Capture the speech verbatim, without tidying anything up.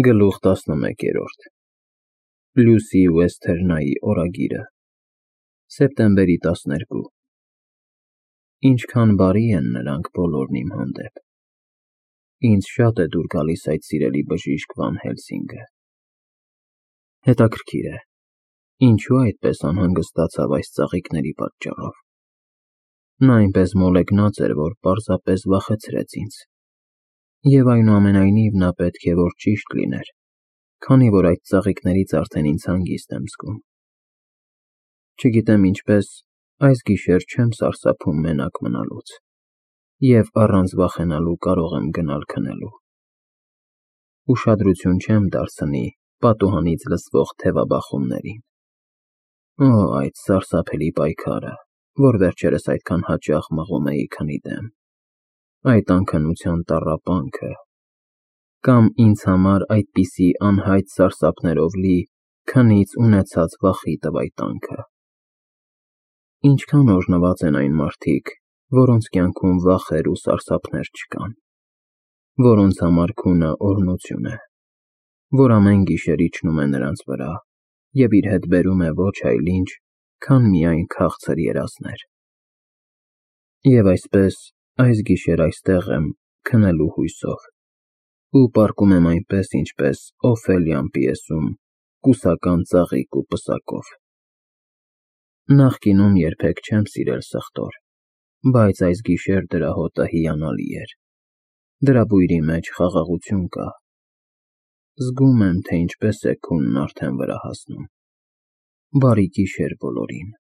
Գլուխ տասնմեկերորդ Լյուսի Ուեսթերնայի օրագիրը Սեպտեմբերի տասներկու Ինչքան բարի են նրանք բոլորն իմ հանդեպ։ Ինձ շատ է դուր գալիս այդ սիրելի բժիշկ Վան Հելսինգը։ Հետաքրքիր է, ինչու այդպես անհանգստացավ այս ծաղիկների պատճառով։ Նա այնպես մոլեգնած էր, որ պարզապես վախեցրեց ինձ։ Եվ այնուամենայնիվ նա պետք է որ ճիշտ լիներ, քանի որ այդ ծաղիկներից արդեն ինձ հանգիստ եմ զգում։ Չգիտեմ ինչպես, այս գիշեր չեմ սարսափում մենակ մնալուց, և առանց վախենալու կարող եմ գնալ քնելու։ Ուշադրություն չեմ դարձնի պատուհանից լսվող թևաբախումներին։ Օ, այդ սարսափելի պայքարը, որ վերջերս այդքան հաճախ մղում էի քնի դեմ, այդ անքնության տառապանքը, կամ ինձ համար այդպիսի անհայտ սարսափներով լի քնից ունեցած վախի տվայտանքը։ Ինչքան օրհնված են այն մարդիկ, որոնց կյանքում վախեր ու սարսափներ չկան, որոնց համար քունը օրհնություն է, որ ամեն գիշեր իջնում է նրանց վրա և իր հետ բերում է ոչ այլ ինչ, քան միայն քաղցր երազներ։ Եվ այսպես, այս գիշեր այստեղ եմ քնելու հույսով ու պառկում եմ այնպես, ինչպես Օֆելիան պիեսում կուսական ծաղիկ ու պսակով։ Նախկինում երբեք չեմ սիրել սխտոր, բայց այս գիշեր դրա հոտը հիանալի էր, դրա բույրի մեջ խաղաղություն կա։ Զգում եմ, թե ինչպես է քունն արդեն վրա հասնում։ Բարի գիշեր բոլորին։